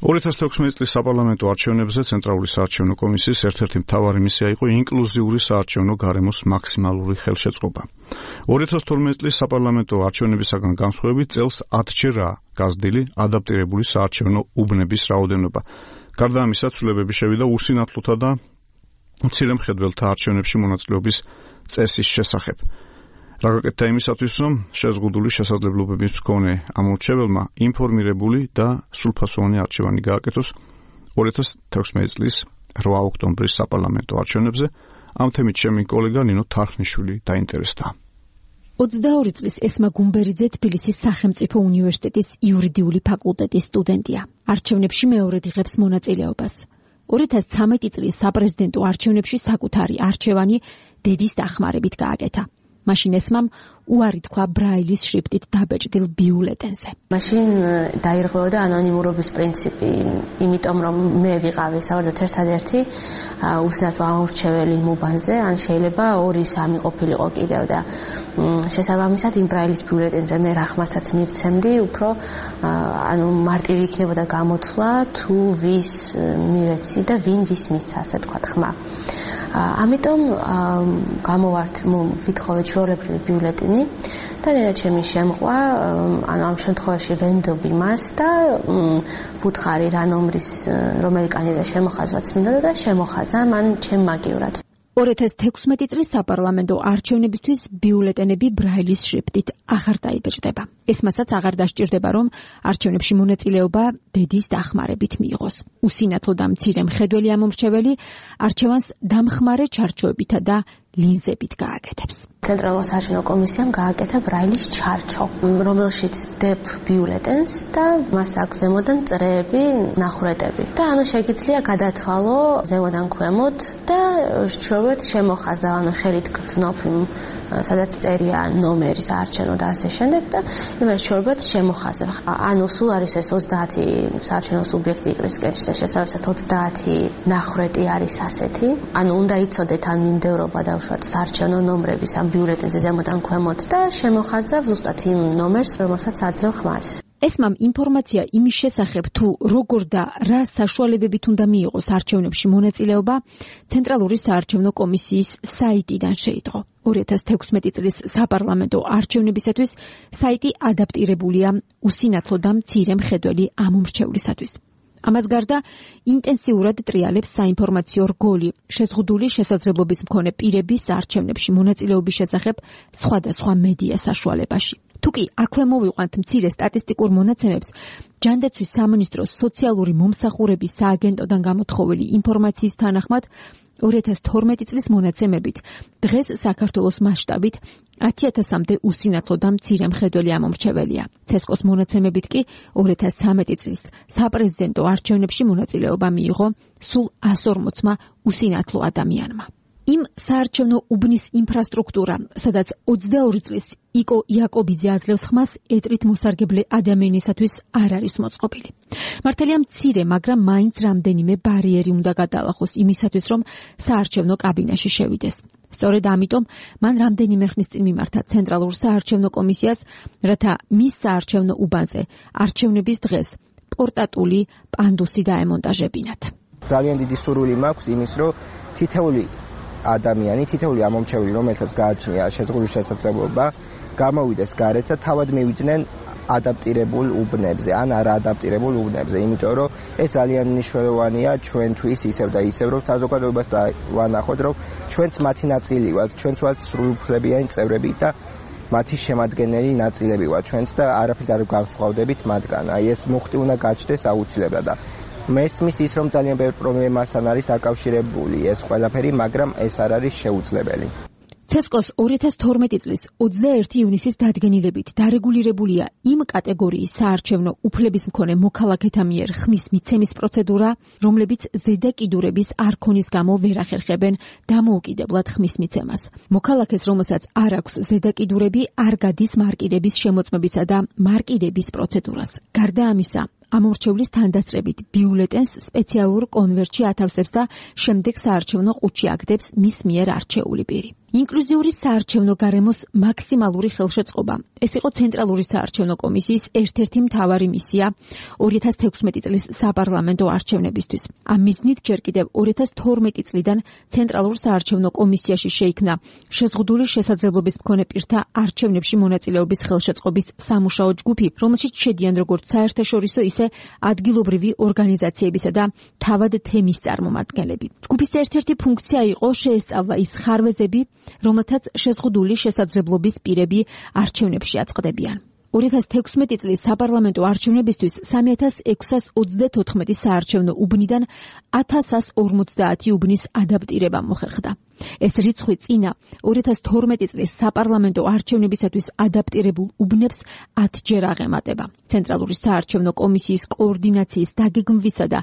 2016 წლის საპარლამენტო არჩევნებზე ცენტრალური საარჩევნო კომისიის ერთ-ერთი მთავარი მისია იყო ინკლუზიური საარჩევნო გარემოს მაქსიმალური ხელშეწყობა. 2012 წლის საპარლამენტო არჩევნებისაგან განსხვავებით წელს 10-ჯერაა გაზრდილი ადაპტირებული საარჩევნო უბნების რაოდენობა. გარდა ამისა, ცვლილებები შევიდა უსინათლოთა და მცირე მხედველთა არჩევნებში მონაწილეობის წესის შესახებ. რა გაკეთდა იმისათვის, რომ შეზღუდული შესაძლებლობების მქონე ამორჩეველმა ინფორმირებული და სრულფასოვანი არჩევანი გააკეთოს 2016 წლის 8 ოქტომბრის საპარლამენტო არჩევნებზე. ამ თემით ჩემი კოლეგა ნინო თარხნიშვილი დაინტერესდა. 22 წლის ესმა გუმბერიძე თბილისის სახელმწიფო უნივერსიტეტის იურიდიული ფაკულტეტის სტუდენტია. არჩევნებში მეორედ იღებს მონაწილეობას. 2013 წლის საპრეზიდენტო არჩევნებში საკუთარი არჩევანი დედის დახმარებით გააკეთა. მაშინ ესმამ უარი თქვა ბრაილის შრიფტით დაბეჭდილ ბიულეტენზე. მაშინ დაირღვეოდა ანონიმურობის პრინციპი, იმიტომ რომ მე ვიყავი საერთოდ ერთადერთი უსინათლო ამორჩეველი მუბანზე, ან შეიძლება 2-3 ყოფილიყო კიდევ და შესაბამისად იმ ბრაილის ბიულეტენზე მე რა ხმასაც მივცემდი, უფრო მარტივი იქნებოდა გამოთვლა თუ ვის მივეცი და ვინ ვის მიცა, ასე თქვა ხმა. ამიტომ გამოვართ ვითხოვე ჩვეულებრივი ბიულეტენი და ჩემი შემყვა, ამ შემთხვევაში ვენდობ იმას და ვუთხარი რა ნომრის რომელი კანდიდატი შემოხაზვაც მინდოდა და შემოხაზა მან ჩემ მაგივრად. 2016 წლის საპარლამენტო არჩევნებისთვის ბიულეტენები ბრაილის შრიფტით აღარ დაიბეჭდება. ესმასაც აღარ დასჭირდება, რომ არჩევნებში მონაწილეობა დედის დახმარებით მიიღოს. უსინათლო და მცირე მხედველი ამომრჩეველი არჩევანს დამხმარე ჩარჩოებითა და ლინზებით გააკეთებს. ცენტრალურ საარჩევნო კომისიამ გააკეთა ბრაილის ჩარჩო, რომელშიც დებ ბიულეტენს და მას აქვს ზემოდან წრეები, ნახვრეტები. და შეგიძლია გადათვალო ზემოდან ქვემოთ და შევეთ შემოხაზა, ხელით გრძნობ იმ სადაც წერია ნომერი საარჩევნო და ასე შემდეგ და იმას შევეთ შემოხაზა. სულ არის ეს 30 საარჩევნო სუბიექტი იყრის კენჭზე, შესაბამისად 30 ნახვრეტი არის ასეთი. უნდა იცოდეთ ან მიმდევრობა და საარჩევნო ნომრების ამ ბიულეტენზე ზემოდან ქვემოთ და შემოხაზა ზუსტად იმ ნომერს, რომელსაც აძლევ ხმას. ესმამ ინფორმაცია იმის შესახებ, თუ როგორ და რა საშუალებებით უნდა მიიღოს არჩევნებში მონაწილეობა, ცენტრალური საარჩევნო კომისიის საიტიდან შეიტყო. 2016 წლის საპარლამენტო არჩევნებისათვის საიტი ადაპტირებულია უსინათლო და მცირე მხედველი ამომრჩევლისათვის. ამას გარდა ინტენსიურად ტრიალებს საინფორმაციო რგოლი შეზღუდული შესაძლებლობის მქონე პირების არჩევნებში მონაწილეობის შესახებ სხვადასხვა მედია საშუალებაში. თუკი აქვე მოვიყვანთ მცირე სტატისტიკურ მონაცემებს, ჯანდაცვის სამინისტროს სოციალური მომსახურების სააგენტოდან გამოთხოვილი ინფორმაციის თანახმად 2012 წლის მონაცემებით დღეს საქართველოს მასშტაბით 10,000-მდე უსინათლო და მცირე მხედველი ამომრჩეველია. ცესკოს მონაცემებით კი 2013 წლის საპრეზიდენტო არჩევნებში მონაწილეობა მიიღო სულ 140-მა უსინათლო ადამიანმა. იმ საარჩევნო უბნის ინფრასტრუქტურა, სადაც 22 წლის იკო იაკობიძე აძლევს ხმას, ეტრით მოსარგებლე ადამიანისათვის არ არის მოწყობილი. მართალია მცირე, მაგრამ მაინც რამდენიმე ბარიერი უნდა გადაალახოს იმისათვის, რომ საარჩევნო კაბინაში შევიდეს. სწორედ ამიტომ მან რამდენიმე ხნის წინ მიმართა ცენტრალურ საარჩევნო კომისიას, რათა მის საარჩევნო უბანზე არჩევნების დღეს პორტატული პანდუსი დაემონტაჟებინათ. ძალიან დიდი სურვილი მაქვს იმის, რომ თითოეული ადამიანი, თითოეული ამომრჩეველი, რომელსაც გააჩნია შეზღუდული შესაძლებლობა, გამოვიდეს გარეთ და თავად მივიდნენ ადაპტირებულ უბნებზე, ან არაადაპტირებულ უბნებზე, იმიტომ რომ ეს ძალიან მნიშვნელოვანია ჩვენთვის ისევ და ისევ, რომ საზოგადოებას ვანახოთ, რომ ჩვენც მათი ნაწილი ვართ, ჩვენც ვართ სრულუფლებიანი წევრები და მათი შემადგენელი ნაწილები ვართ ჩვენც და არაფრით არ განსხვავდებით მათგან. ეს მუხტი უნდა გაჩნდეს აუცილებლად და მესმის ის, რომ ძალიან ბევრ პრობლემასთან არის დაკავშირებული ეს ყველაფერი, მაგრამ ეს არ არის შეუძლებელი. ცესკოს 2012 წლის 21 ივნისის დადგენილებით დარეგულირებულია იმ კატეგორიის საარჩევნო უფლების მქონე მოქალაქეთა მიერ ხმის მიცემის პროცედურა, რომლებიც ზედა კიდურების არქონის გამო ვერ ახერხებენ დამოუკიდებლად ხმის მიცემას. მოქალაქეს, რომელსაც არ აქვს ზედა კიდურები, არ გადის მარკირების შემოწმებისა და მარკირების პროცედურას. გარდა ამისა, ამორჩევლის თანდასწრებით ბიულეტენს სპეციალურ კონვერტში ათავსებს და შემდეგ საარჩევნო ყუთში აგდებს მის მიერ არჩეული პირი. ინკლუზიური საარჩევნო გარემოს მაქსიმალური ხელშეწყობა. ეს იყო ცენტრალური საარჩევნო კომისიის ერთ-ერთი მთავარი მისია 2016 წლის საპარლამენტო არჩევნებისთვის. ამ მიზნით ჯერ კიდევ 2012 წლიდან ცენტრალურ საარჩევნო კომისიაში შეიქმნა შეზღუდული შესაძლებლობის მქონე პირთა არჩევნებში მონაწილეობის ხელშეწყობის სამუშაო ჯგუფი, რომელშიც შედიან როგორც საერთაშორისო, ისე ადგილობრივი ორგანიზაციებისა და თავად თემის წარმომადგენლები. ჯგუფის ერთ-ერთი ფუნქცია იყო შეესწავლა ის ხარვეზები, რომელთაც შეზღუდული შესაძლებლობის პირები არჩევნებში აწყდებიან. 2016 წლის საპარლამენტო არჩევნებისთვის 3624 საარჩევნო უბნიდან 1150 უბნის ადაპტირება მოხერხდა. ეს რიცხვი წინა 2012 წლის საპარლამენტო არჩევნებისათვის ადაპტირებულ უბნებს 10-ჯერ აღემატება. ცენტრალური საარჩევნო კომისიის კოორდინაციის დაგეგმვისა და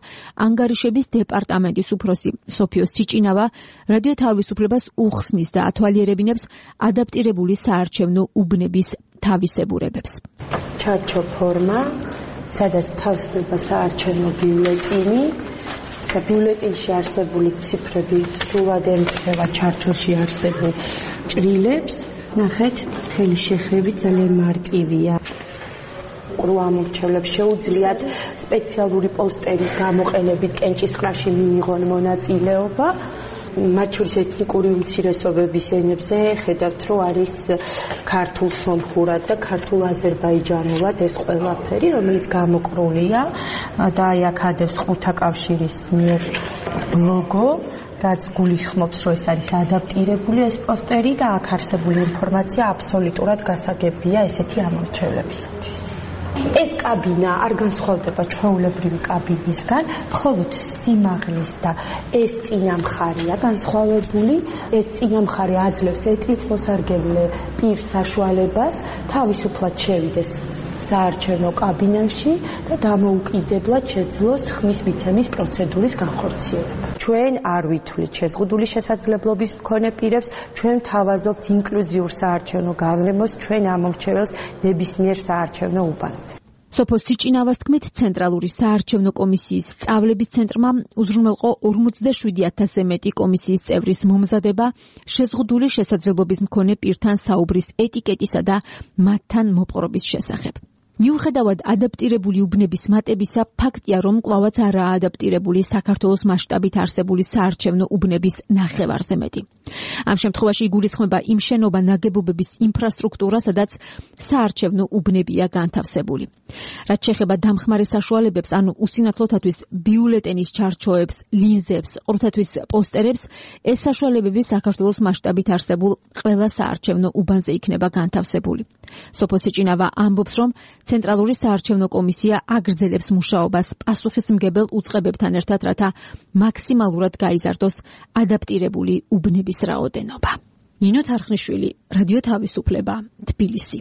ანგარიშების დეპარტამენტის უფროსი სოფიო სიჭინავა რადიო თავისუფლებას უხსნის და ათვალიერებინებს ადაპტირებული საარჩევნო უბნების თავისებურებებს. ჩარჩო ფორმა, სადაც თავსდება საარჩევნო ბიულეტენი და ბიულეტენში არსებული ციფრები სრულად ემთხვევა ჩარჩოში არსებულ ჭრილებს. ნახეთ, ხელი შეხრებით ძალიან მარტივია. ყრუ ამორჩევლებს შეუძლიათ სპეციალური პოსტერის გამოყენებით კენჭისყრაში მიიღონ მონაწილეობა. მათ შორის ეთნიკური უმცირესობების ენებზე ხედავთ, რომ არის ქართულ სომხურად და ქართულ აზერბაიჯანულად ეს ყველაფერი, რომელიც გამოკრულია და აი აქ ადევს ხუთა კავშირის მიერ ლოგო, რაც გულისხმობს, რომ ეს არის ადაპტირებული ეს პოსტერი და აქ არსებული ინფორმაცია აბსოლუტურად გასაგებია ესეთი ამორჩევლებისათვის. ეს კაბინა არ განსხვავდება ჩვეულებრივი კაბინისგან, მხოლოდ სიმაღლის და ეს წინა მხარეა განსხვავებული. ეს წინა მხარე აძლევს ეთნიკოსარგებლე პირს საშუალებას თავისუფლად შევიდეს საარჩევნო კაბინაში და დამოუკიდებლად შეძლოს ხმის მიცემის პროცედურის განხორციელება. ჩვენ არ ვითვლით შეზღუდული შესაძლებლობის მქონე პირებს, ჩვენ თავაზობთ ინკლუზიურ საარჩევნო გარემოს ჩვენ ამორჩეველს ნებისმიერ საარჩევნო უბანზე. სოფო სიჭინავას თქმით, ცენტრალური საარჩევნო კომისიის სწავლების ცენტრმა უზრუნველყო 47000-ზე მეტი კომისიის წევრის მომზადება შეზღუდული შესაძლებლობის მქონე პირთან საუბრის ეტიკეტისა და მათთან მოპყრობის შესახებ. მიუხედავად ადაპტირებული უბნების მატებისა, ფაქტია, რომ კვლავაც არაა ადაპტირებული საქართველოს მასშტაბით არსებული საარჩევნო უბნების ნახევარზე მეტი. ამ შემთხვევაში იგულისხმება იმ შენობა ნაგებობების ინფრასტრუქტურა, სადაც საარჩევნო უბნებია განთავსებული. რაც შეეხება დამხმარე საშუალებებს, ანუ უსინათლოთათვის ბიულეტენის ჩარჩოებს, ლინზებს, ყრუთათვის პოსტერებს, ეს საშუალებები საქართველოს მასშტაბით არსებულ ყველა საარჩევნო უბანზე იქნება განთავსებული. სოფო სიჭინავა ამბობს, რომ ცენტრალური საარჩევნო კომისია აგრძელებს მუშაობას პასუხისმგებელ უწყებებთან ერთად, რათა მაქსიმალურად გაიზარდოს ადაპტირებული უბნების რაოდენობა. ნინო თარხნიშვილი, რადიო თავისუფლება, თბილისი.